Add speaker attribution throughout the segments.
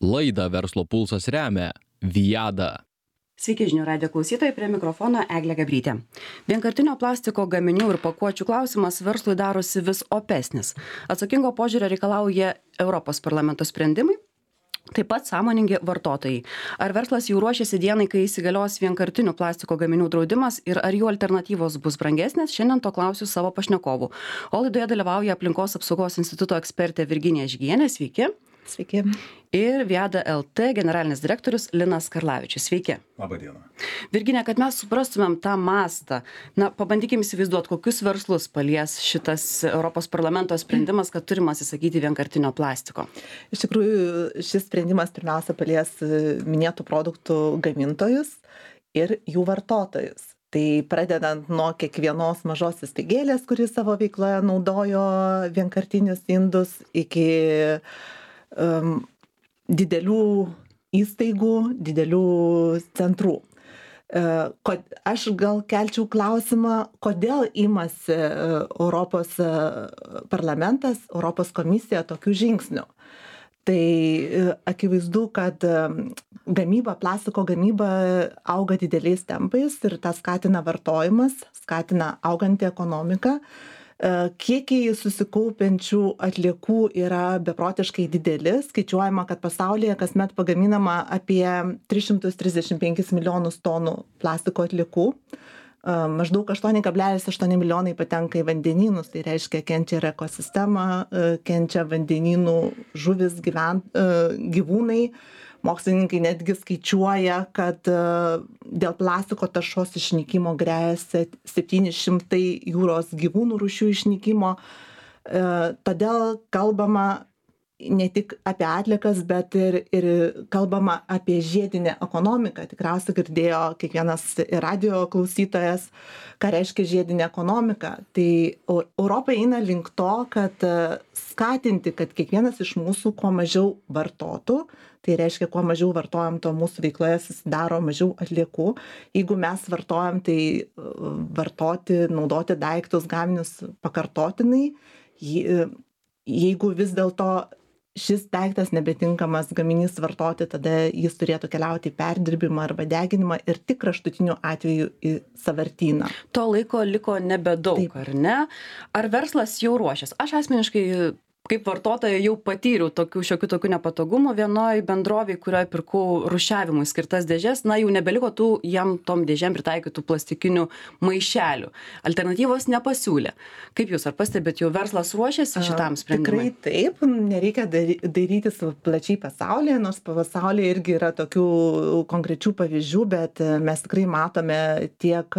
Speaker 1: Laidą Verslo pulsas remia Viada.
Speaker 2: Sveiki žinių radijo klausytojai, prie mikrofono Eglė Gabrytė. Vienkartinio plastiko gaminių ir pakuočių klausimas verslui darosi vis opesnis. Atsakingo požiūrio reikalauja Europos parlamento sprendimai, taip pat sąmoningi vartotojai. Ar verslas jau ruošiasi dienai, kai įsigalios vienkartinių plastiko gaminių draudimas ir ar jų alternatyvos bus brangesnės, šiandien to klausiu savo pašnekovų. O laidoje dalyvauja Aplinkos apsaugos instituto ekspertė Virginija Žygienė. Sveiki.
Speaker 3: Sveiki.
Speaker 2: Ir Viada LT generalinis direktorius Linas Karlavičius. Sveiki.
Speaker 4: Labą dieną.
Speaker 2: Virginija, kad mes suprastumėm tą mastą, pabandykim įsivaizduoti, kokius verslus palies šitas Europos parlamento sprendimas, kad turime atsisakyti vienkartinio plastiko.
Speaker 3: Iš tikrųjų, šis sprendimas pirmiausia palies minėtų produktų gamintojus ir jų vartotojus. Tai pradedant nuo kiekvienos mažos įstaigėlės, kuri savo veikloje naudojo vienkartinius indus, iki didelių įstaigų, didelių centrų. Aš gal kelčiau klausimą, kodėl imasi Europos parlamentas, Europos komisija tokių žingsnių. Tai akivaizdu, kad plastiko gamyba auga dideliais tempais ir tą skatina vartojimas, skatina augantį ekonomiką. Kiekiai susikaupiančių atliekų yra beprotiškai dideli. Skaičiuojama, kad pasaulyje kasmet pagaminama apie 335 milijonus tonų plastiko atliekų. Maždaug 8,8 milijonai patenka į vandenynus, tai reiškia kenčia ir ekosistema, kenčia vandenynų žuvis, gyvūnai. Mokslininkai netgi skaičiuoja, kad dėl plastiko taršos išnykimo gresia 700 jūros gyvūnų rūšių išnykimo. Todėl kalbama ne tik apie atliekas, bet ir kalbama apie žiedinę ekonomiką. Tikriausiai girdėjo kiekvienas radio klausytojas, ką reiškia žiedinė ekonomika. Tai Europa eina link to, kad skatinti, kad kiekvienas iš mūsų kuo mažiau vartotų. Tai reiškia, kuo mažiau vartojam, to mūsų veikloje susidaro mažiau atliekų. Jeigu mes vartojam, tai naudoti daiktus, gaminius pakartotinai. Jeigu vis dėlto šis daiktas nebetinkamas gaminys vartoti, tada jis turėtų keliauti į perdirbimą arba deginimą ir tik kraštutiniu atveju į sąvartyną.
Speaker 2: To laiko liko nebedaug, taip. Ar ne? Ar verslas jau ruošiasi? Aš asmeniškai kaip vartotoja jau patyriau šiokių tokių nepatogumų vienoj bendrovėj, kurioje pirkau rūšiavimui skirtas dėžes, jau nebeliko jam tom dėžėm pritaikytų plastikinių maišelių. Alternatyvos nepasiūlė. Kaip jūs, ar pastebėt, jau verslas ruošiasi šitam sprendimui?
Speaker 3: Tikrai taip, nereikia dairytis plačiai pasaulyje, nors pasaulyje irgi yra tokių konkrečių pavyzdžių, bet mes tikrai matome tiek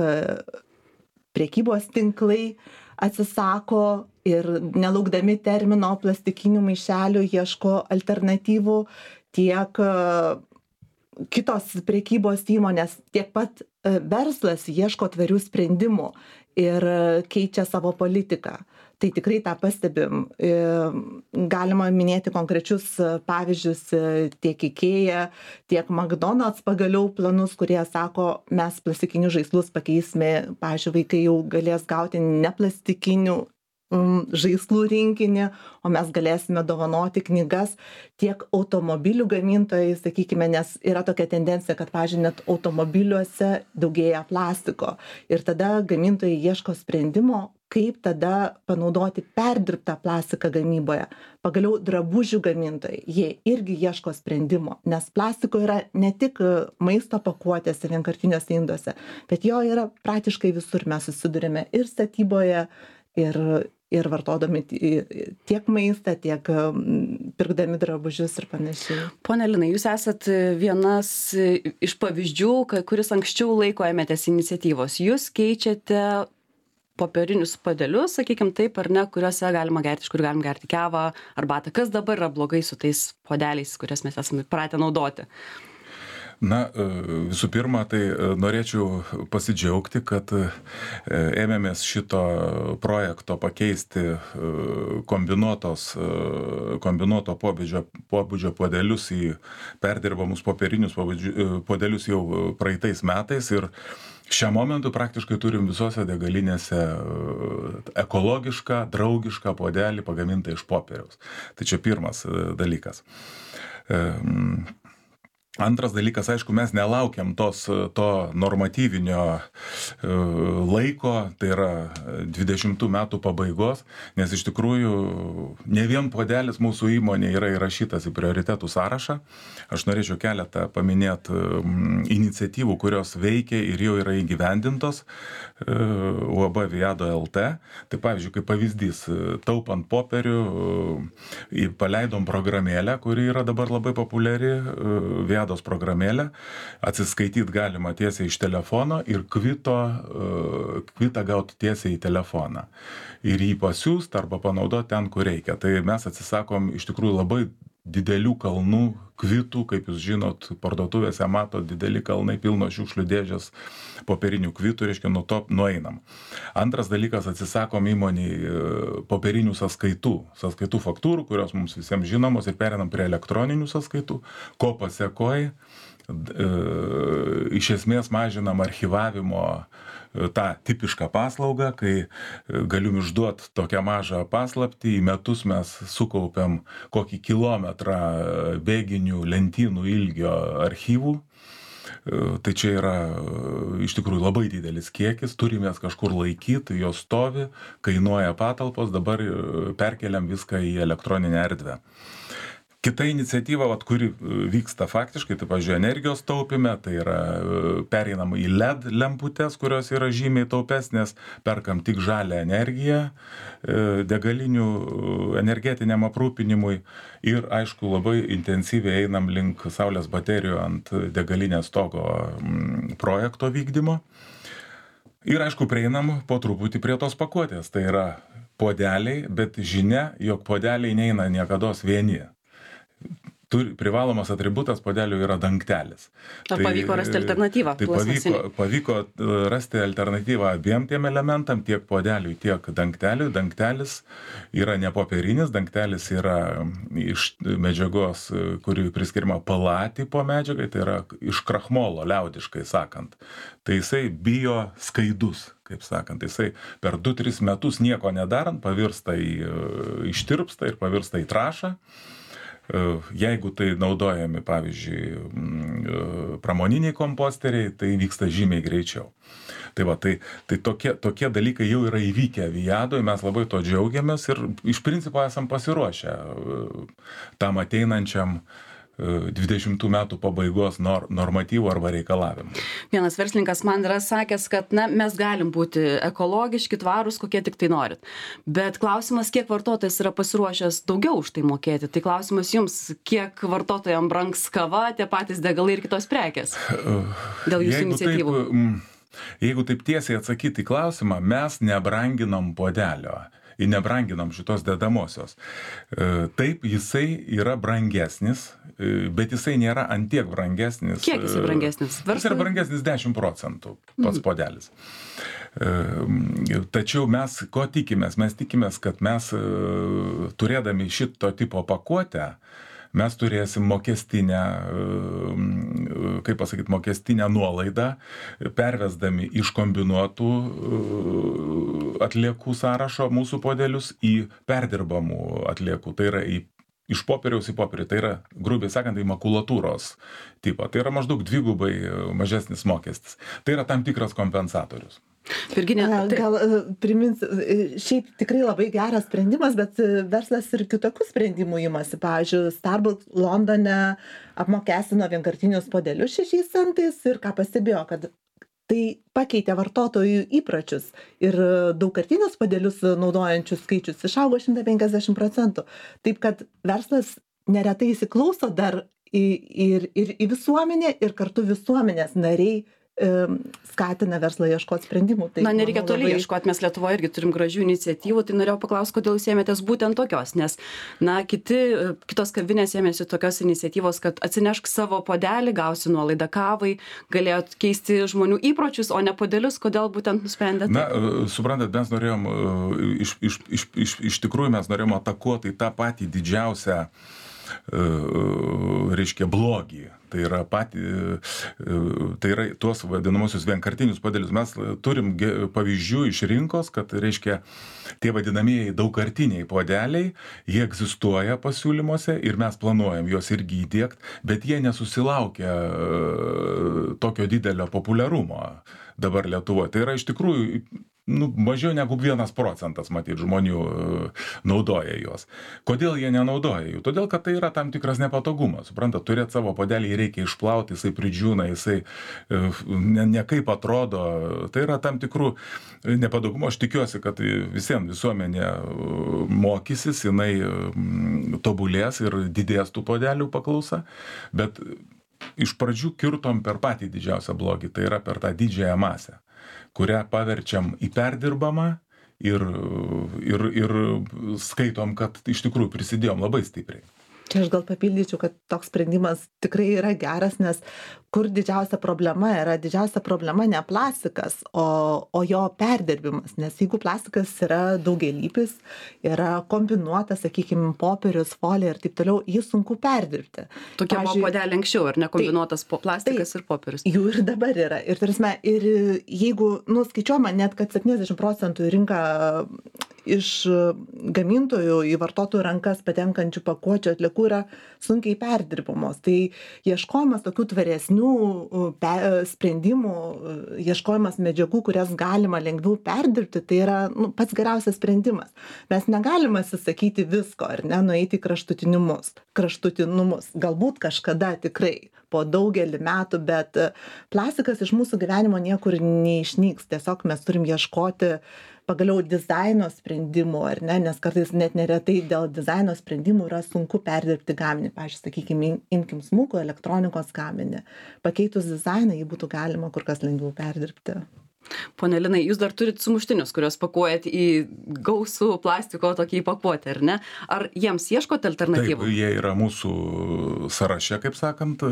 Speaker 3: prekybos tinklai atsisako ir nelaukdami termino plastikinių maišelių ieško alternatyvų, tiek kitos prekybos įmonės, tiek pat verslas ieško tvarių sprendimų ir keičia savo politiką. Tai tikrai tą pastebim. Galima minėti konkrečius pavyzdžius tiek IKEA, tiek McDonald's pagaliau planus, kurie sako, mes plastikinius žaislus pakeisime, pavyzdžiui, vaikai jau galės gauti neplastikinių žaislų rinkinį, o mes galėsime dovanoti knygas, tiek automobilių gamintojai, sakykime, nes yra tokia tendencija, kad, pavyzdžiui, net automobiliuose daugėja plastiko. Ir tada gamintojai ieško sprendimo, kaip tada panaudoti perdirbtą plastiką gamyboje. Pagaliau drabužių gamintojai, jie irgi ieško sprendimo, nes plastiko yra ne tik maisto pakuotėse, vienkartiniuose induose, bet jo yra praktiškai visur. Mes susidurime ir statyboje, ir vartodami tiek maistą, tiek pirkdami drabužius ir panašiai.
Speaker 2: Pone Linai, jūs esat vienas iš pavyzdžių, kuris anksčiau laiko ėmėtės iniciatyvos. Jūs keičiate popierinius puodelius, sakykim taip, ar ne, kuriuose galima gerti, iš kur galim gerti kavą, arbatą. Kas dabar yra blogai su tais puodeliais, kurias mes esame pratę naudoti?
Speaker 4: Visų pirma, tai norėčiau pasidžiaugti, kad ėmėmės šito projekto pakeisti kombinuoto pobūdžio puodelius į perdirbamus popierinius puodelius jau praeitais metais ir šiam momentui praktiškai turim visose degalinėse ekologišką, draugišką puodelį pagamintą iš popieriaus. Tai čia pirmas dalykas. Antras dalykas, aišku, mes nelaukiam to normatyvinio laiko, tai yra 20 metų pabaigos, nes iš tikrųjų ne vien puodelis mūsų įmonė yra įrašytas į prioritetų sąrašą. Aš norėčiau keletą paminėti iniciatyvų, kurios veikia ir jau yra įgyvendintos UAB Viado LT. Tai pavyzdžiui, kaip pavyzdys, taupant popierių, paleidom programėlę, kuri yra dabar labai populiari, Viados programėlę, atsiskaityti galima tiesiai iš telefono ir kvitą gauti tiesiai į telefoną. Ir jį pasiūst arba panaudoti ten, kur reikia. Tai mes atsisakom iš tikrųjų labai didelių kalnų kvitų, kaip jūs žinot, parduotuvėse mato dideli kalnai pilno šiukšlių dėžės popierinių kvitų, reiškia, nuo to nueinam. Antras dalykas, atsisakom įmoniai popierinių sąskaitų faktūrų, kurios mums visiems žinomos, ir perinam prie elektroninių sąskaitų, ko pasekoj iš esmės mažinam archyvavimo tą tipišką paslaugą, kai galim išduoti tokią mažą paslaptį, į metus mes sukaupiam kokį kilometrą bėginių lentynų ilgio archyvų. Tai čia yra iš tikrųjų labai didelis kiekis, turimės kažkur laikyti, jos stovi, kainuoja patalpos, dabar perkeliam viską į elektroninę erdvę. Kita iniciatyva, kuri vyksta faktiškai, tai pavyzdžiui, energijos taupime, tai yra pereinam į LED lemputes, kurios yra žymiai taupesnės, perkam tik žalią energiją degalinių energetiniam aprūpinimui ir, aišku, labai intensyviai einam link saulės baterijų ant degalinės stogo projekto vykdymo. Ir, aišku, prieinam po truputį prie tos pakuotės, tai yra puodeliai, bet žinia, jog puodeliai neina niekados vieni. Privalomas atributas puodelių yra dangtelis.
Speaker 2: Ar pavyko rasti alternatyvą?
Speaker 4: Tai pavyko rasti alternatyvą abiem tiem elementam, tiek puodeliui, tiek dangteliui. Dangtelis yra ne popierinis, dangtelis yra iš medžiagos, kuri priskiriama PLA tipo medžiagai, tai yra iš krachmolo, liaudiškai sakant. Tai jisai bio skaidus, kaip sakant. Jisai per 2-3 metus nieko nedarant pavirsta ištirpsta ir pavirsta į trąšą. Jeigu tai naudojami, pavyzdžiui, pramoniniai komposteriai, tai vyksta žymiai greičiau. Tai tokie dalykai jau yra įvykę Viadoj, mes labai to džiaugiamės ir iš principo esam pasiruošę tam ateinančiam 20 metų pabaigos normatyvų arba reikalavimų.
Speaker 2: Vienas verslininkas man yra sakęs, kad mes galim būti ekologiški, tvarūs, kokie tik tai norit. Bet klausimas, kiek vartotojas yra pasiruošęs daugiau už tai mokėti. Tai klausimas jums, kiek vartotojams brangs kava, tie patys degalai ir kitos prekės dėl jūsų iniciatyvų.
Speaker 4: Jeigu taip tiesiai atsakyti į klausimą, mes nebranginam puodelio. Ir nebranginam šitos dedamosios. Taip, jisai yra brangesnis, bet jisai nėra antiek brangesnis.
Speaker 2: Kiek jisai brangesnis?
Speaker 4: Jis yra brangesnis 10% pats puodelis. Tačiau mes ko tikimės? Mes tikimės, kad mes turėdami šito tipo pakuotę, mes turėsim mokestinę nuolaidą, pervesdami iš kombinuotų atliekų sąrašo mūsų puodelius į perdirbamų atliekų. Tai yra iš popieriaus į popierį, tai yra, grubiai sakant, į makulatūros tipą. Tai yra maždaug 2x mažesnis mokestis. Tai yra tam tikras kompensatorius.
Speaker 2: Virginija,
Speaker 3: gal primins, šiaip tikrai labai geras sprendimas, bet verslas ir kitokių sprendimų imasi. Pavyzdžiui, Starbucks Londone apmokestino vienkartinius puodelius 6 centais ir ką pastebėjo, kad tai pakeitė vartotojų įpročius ir daugkartinius puodelius naudojančių skaičius išaugo 150%. Taip kad verslas neretai įsiklauso dar ir į visuomenę ir kartu visuomenės nariai skatina verslą ieškoti sprendimų. Tai,
Speaker 2: nereikia toli ieškoti, mes Lietuvoje irgi turim gražių iniciatyvų, tai norėjau paklausti, kodėl jūs ėmėtės būtent tokios, nes, kitos kavinės ėmėsi tokios iniciatyvos, kad atsinešk savo puodelį, gausi nuolaidą kavai, galėjot keisti žmonių įpročius, o ne puodelius, kodėl būtent nusprendėte?
Speaker 4: Suprantat, mes norėjom, iš tikrųjų mes norėjom atakuoti tą patį didžiausią reiškia blogį. Tai yra tai yra tuos vadinamosius vienkartinius puodelius. Mes turim pavyzdžių iš rinkos, kad, reiškia, tie vadinamieji daugkartiniai puodeliai, jie egzistuoja pasiūlymuose ir mes planuojam juos irgi įdiegti, bet jie nesusilaukia tokio didelio populiarumo dabar Lietuvoje. Tai yra iš tikrųjų mažiau negu 1% matyt žmonių naudoja juos. Kodėl jie nenaudoja jų? Todėl, kad tai yra tam tikras nepatogumas. Suprantat, turėti savo puodelį reikia išplauti, jisai pridžiūna, jisai nekaip atrodo. Tai yra tam tikrų nepatogumų. Aš tikiuosi, kad visiems visuomenė mokysis, jinai tobulės ir didės tų puodelių paklausa. Bet iš pradžių kirtom per patį didžiausią blogį, tai yra per tą didžiąją masę, kurią paverčiam į perdirbamą ir skaitom, kad iš tikrųjų prisidėjom labai stipriai.
Speaker 3: Čia aš gal papildyčiau, kad toks sprendimas tikrai yra geras, nes kur didžiausia problema yra? Didžiausia problema ne plastikas, o jo perdirbimas. Nes jeigu plastikas yra daugialypis, yra kombinuotas, sakykime, popierius, folija ir taip toliau, jį sunku perdirbti.
Speaker 2: Tokie buvo puodeliai anksčiau, ar ne, kombinuotas plastikas ir popierius?
Speaker 3: Jų ir dabar yra. Ir tarsi, ir jeigu, skaičiuojama net, kad 70% rinka iš gamintojų į vartotojų rankas patenkančių pakuočių atliekų yra sunkiai perdirbamos. Tai ieškojimas tokių tvaresnių sprendimų, ieškojimas medžiagų, kurias galima lengviau perdirbti, tai yra pats geriausias sprendimas. Mes negalime atsisakyti visko, ar ne, nueiti į kraštutinumus. Galbūt kažkada tikrai po daugelį metų, bet plastikas iš mūsų gyvenimo niekur neišnyks. Tiesiog mes turim ieškoti pagaliau dizaino sprendimų, ar ne, nes kartais net neretai dėl dizaino sprendimų yra sunku perdirbti gaminį. Pavyzdžiui, sakykime, imkim smulkų elektronikos gaminį. Pakeitus dizainą jį būtų galima kur kas lengviau perdirbti.
Speaker 2: Pone Linai, jūs dar turit sumuštinius, kuriuos pakuojat į gausų plastiko tokį pakuotę, ar ne? Ar jiems ieškote alternatyvų?
Speaker 4: Taip, jie yra mūsų sąraše, kaip sakant,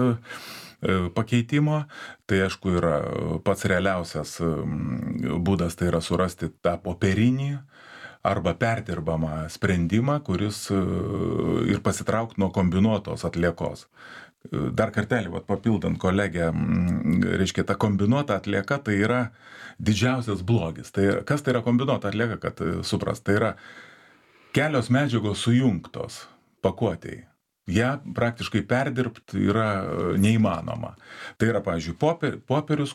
Speaker 4: pakeitimo. Tai aišku yra pats realiausias būdas, tai yra surasti tą popierinį arba perdirbamą sprendimą, kuris ir pasitraukti nuo kombinuotos atliekos. Dar kartelį, papildant kolegę, reiškia, ta kombinuota atlieka tai yra didžiausias blogis. Tai kas tai yra kombinuota atlieka, kad supras? Tai yra kelios medžiagos sujungtos pakuotėj. Ja praktiškai perdirbti yra neįmanoma. Tai yra, pavyzdžiui, popierius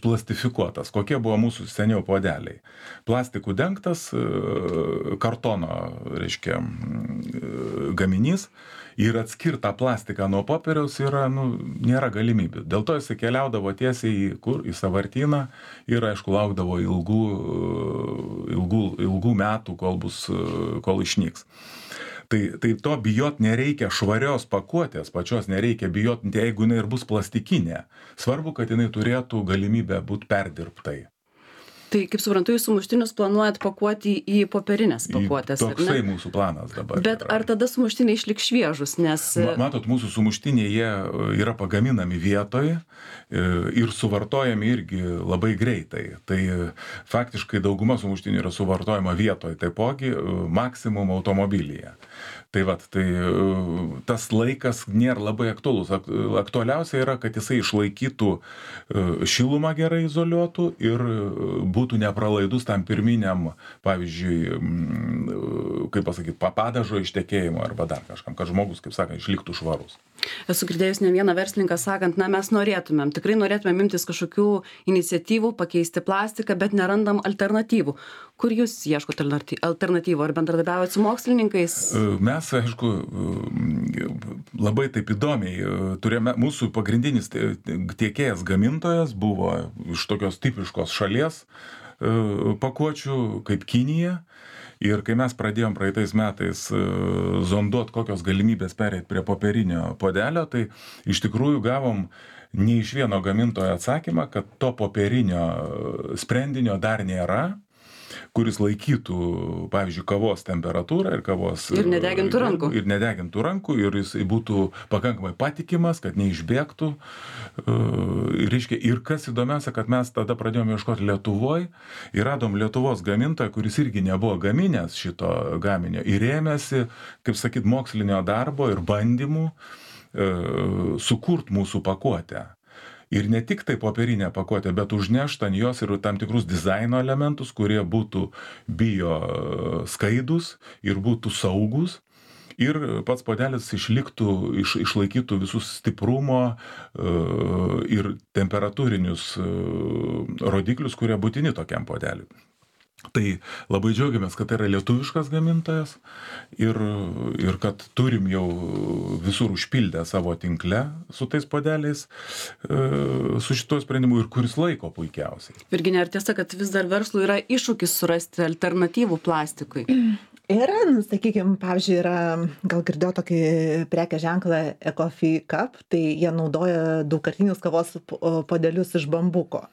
Speaker 4: plastifikuotas. Kokie buvo mūsų seniau puodeliai? Plastikų dengtas kartono, reiškia, gaminys ir atskirtą plastiką nuo popieriaus yra, nėra galimybių. Dėl to jis keliaudavo tiesiai į sąvartyną ir, aišku, laukdavo ilgų metų, kol išnyks. Tai to bijot nereikia, švarios pakuotės pačios nereikia bijot, jeigu jinai ir bus plastikinė. Svarbu, kad jinai turėtų galimybę būti perdirbtai.
Speaker 2: Tai, kaip suprantu, jūs sumuštinius planuojat pakuoti į popierinės pakuotės, ar ne?
Speaker 4: Toksai mūsų planas dabar.
Speaker 2: Bet ar tada sumuštiniai išliks šviežus, nes...
Speaker 4: Matot, mūsų sumuštiniai, jie yra pagaminami vietoje ir suvartojami irgi labai greitai. Tai faktiškai dauguma sumuštinių yra suvartojama vietoje, taipogi maksimum automobilyje. Tai tas laikas nėra labai aktualus. Aktualiausia yra, kad jisai išlaikytų šilumą gerai izoliuotų ir būtų nepralaidus tam pirminiam, pavyzdžiui, kaip pasakyti, padažo ištekėjimo arba dar kažkam, kad žmogus, kaip sakant, išliktų švarus.
Speaker 2: Esu girdėjus ne vieną verslininką sakant, mes tikrai norėtumėm imtis kažkokių iniciatyvų, pakeisti plastiką, bet nerandam alternatyvų. Kur jūs ieškote alternatyvų? Ar bendradarbiaujate su mokslininkais?
Speaker 4: Mes, aišku, labai taip įdomiai turėjome, mūsų pagrindinis tiekėjas gamintojas buvo iš tokios tipiškos šalies pakuočių kaip Kinija. Ir kai mes pradėjom praeitais metais zonduot, kokios galimybės pereiti prie popierinio puodelio, tai iš tikrųjų gavom ne iš vieno gamintojo atsakymą, kad to popierinio sprendinio dar nėra, kuris laikytų, pavyzdžiui, kavos temperatūrą ir kavos...
Speaker 2: Ir nedegintų rankų.
Speaker 4: Ir nedegintų rankų, ir jis būtų pakankamai patikimas, kad neišbėgtų. Ir kas įdomiausia, kad mes tada pradėjome ieškoti Lietuvoje ir radom Lietuvos gamintoją, kuris irgi nebuvo gaminęs šito gaminio ir ėmėsi, kaip sakyt, mokslinio darbo ir bandymų sukurt mūsų pakuotę. Ir ne tik tai popierinę pakuotę, bet užnešt ant jos ir tam tikrus dizaino elementus, kurie būtų bio skaidus ir būtų saugus. Ir pats puodelis išlaikytų visus stiprumo ir temperatūrinius rodiklius, kurie būtini tokiam puodeliui. Tai labai džiaugiamės, kad tai yra lietuviškas gamintojas ir kad turim jau visur užpildę savo tinkle su tais puodeliais, su šituo sprendimu ir kuris laiko puikiausiai.
Speaker 2: Virginija, ar tiesa, kad vis dar verslui yra iššūkis surasti alternatyvų plastikui?
Speaker 3: Yra, sakykime, pavyzdžiui, gal girdėjau tokį prekės ženklą Ecofy Cup, tai jie naudoja daugkartinius kavos puodelius iš bambuko.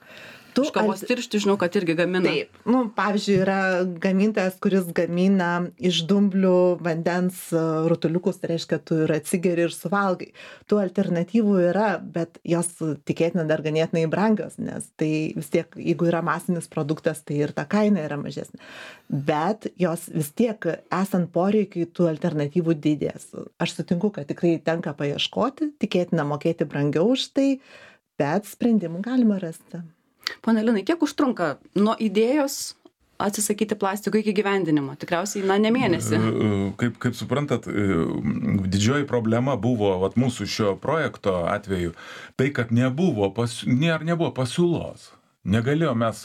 Speaker 2: Iš kavos tiršti, žinau, kad irgi gamina.
Speaker 3: Taip, pavyzdžiui, yra gamintojas, kuris gamina iš dumblių vandens rutuliukus, tai reiškia, tu ir atsigeri ir suvalgai. Tų alternatyvų yra, bet jos tikėtina dar ganėtinai brangios, nes tai vis tiek, jeigu yra masinis produktas, tai ir ta kaina yra mažesnė. Bet jos vis tiek, esant poreikiai, tų alternatyvų didės. Aš sutinku, kad tikrai tenka paieškoti, tikėtina mokėti brangiau už tai, bet sprendimų galima rasti.
Speaker 2: Pone Linai, kiek užtrunka nuo idėjos atsisakyti plastiko iki gyvendinimo? Tikriausiai, ne mėnesį.
Speaker 4: Kaip suprantat, didžioji problema buvo mūsų šio projekto atveju, tai kad nebuvo pasiūlos. Negalėjom mes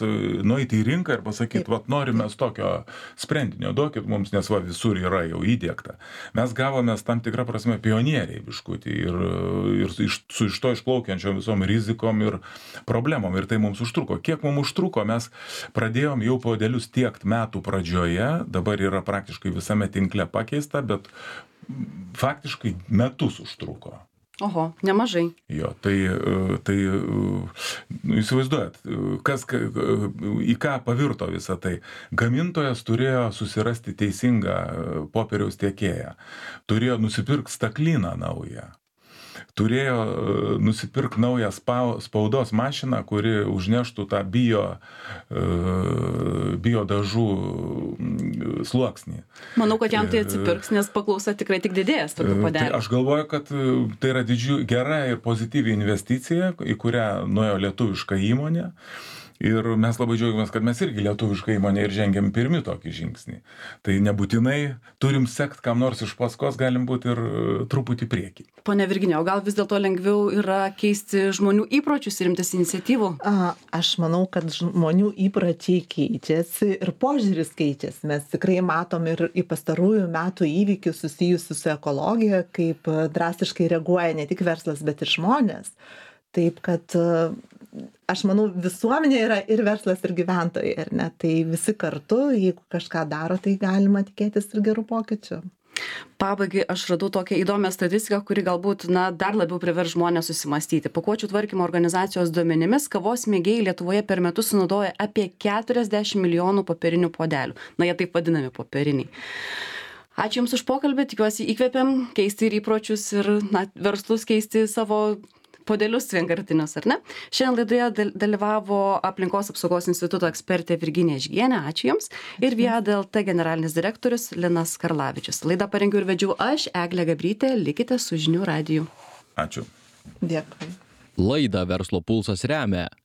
Speaker 4: nueiti į rinką ir pasakyti, norime tokio sprendinio, duokit mums, nes visur yra jau įdiegta. Mes gavome tam tikrą prasme pionieriai biškutį ir su iš to išplaukiančiom visom rizikom ir problemom. Ir tai mums užtruko. Kiek mums užtruko, mes pradėjom jau puodelius tiekt metų pradžioje, dabar yra praktiškai visame tinkle pakeista, bet faktiškai metus užtruko.
Speaker 2: Oho, nemažai.
Speaker 4: Jo, tai įsivaizduojat, į ką pavirto visą tai. Gamintojas turėjo susirasti teisingą popieriaus tiekėją, turėjo nusipirkti staklyną naują, turėjo nusipirkti naują spaudos mašiną, kuri užneštų tą bio dažų sluoksnį.
Speaker 2: Manau, kad jam tai atsipirks, nes paklausa tikrai tik didės tokių puodelių.
Speaker 4: Tai aš galvoju, kad tai yra gera ir pozityvi investicija, į kurią nuėjo lietuviška įmonė. Ir mes labai džiaugiamės, kad mes irgi lietuviška įmonė ir žengiam pirmi tokį žingsnį. Tai nebūtinai turim sekt kam nors iš paskos, galim būti ir truputį priekį.
Speaker 2: Pone Virginija, o gal vis dėlto lengviau yra keisti žmonių įpročius ir imtis iniciatyvų?
Speaker 3: Aš manau, kad žmonių įpročiai keičiasi ir požiūris keičiasi. Mes tikrai matom ir į pastarųjų metų įvykius susijusius su ekologija, kaip drastiškai reaguoja ne tik verslas, bet ir žmonės. Taip, kad aš manau, visuomenė yra ir verslas, ir gyventojai, ar ne? Tai visi kartu, jeigu kažką daro, tai galima tikėtis ir gerų pokyčių.
Speaker 2: Pabaigai aš radau tokią įdomią statistiką, kuri galbūt dar labiau privers žmonės susimastyti. Pakuočių tvarkymo organizacijos duomenimis, kavos mėgėjai Lietuvoje per metus sunaudoja apie 40 milijonų popierinių puodelių. Jie taip vadinami popieriniai. Ačiū Jums už pokalbį, tikiuosi įkvėpėm keisti ir įpročius ir verslus keisti savo puodelius vienkartinius, ar ne? Šiandien laidoje dalyvavo Aplinkos apsaugos instituto ekspertė Virginija Žygienė, ačiū Jums, ir Viada LT generalinis direktorius Linas Karlavičius. Laidą parengiau ir vedžiau aš, Eglė Gabrytė, likite su Žinių radiju.
Speaker 4: Ačiū.
Speaker 3: Dėkui.
Speaker 1: Laidą Verslo pulsas remia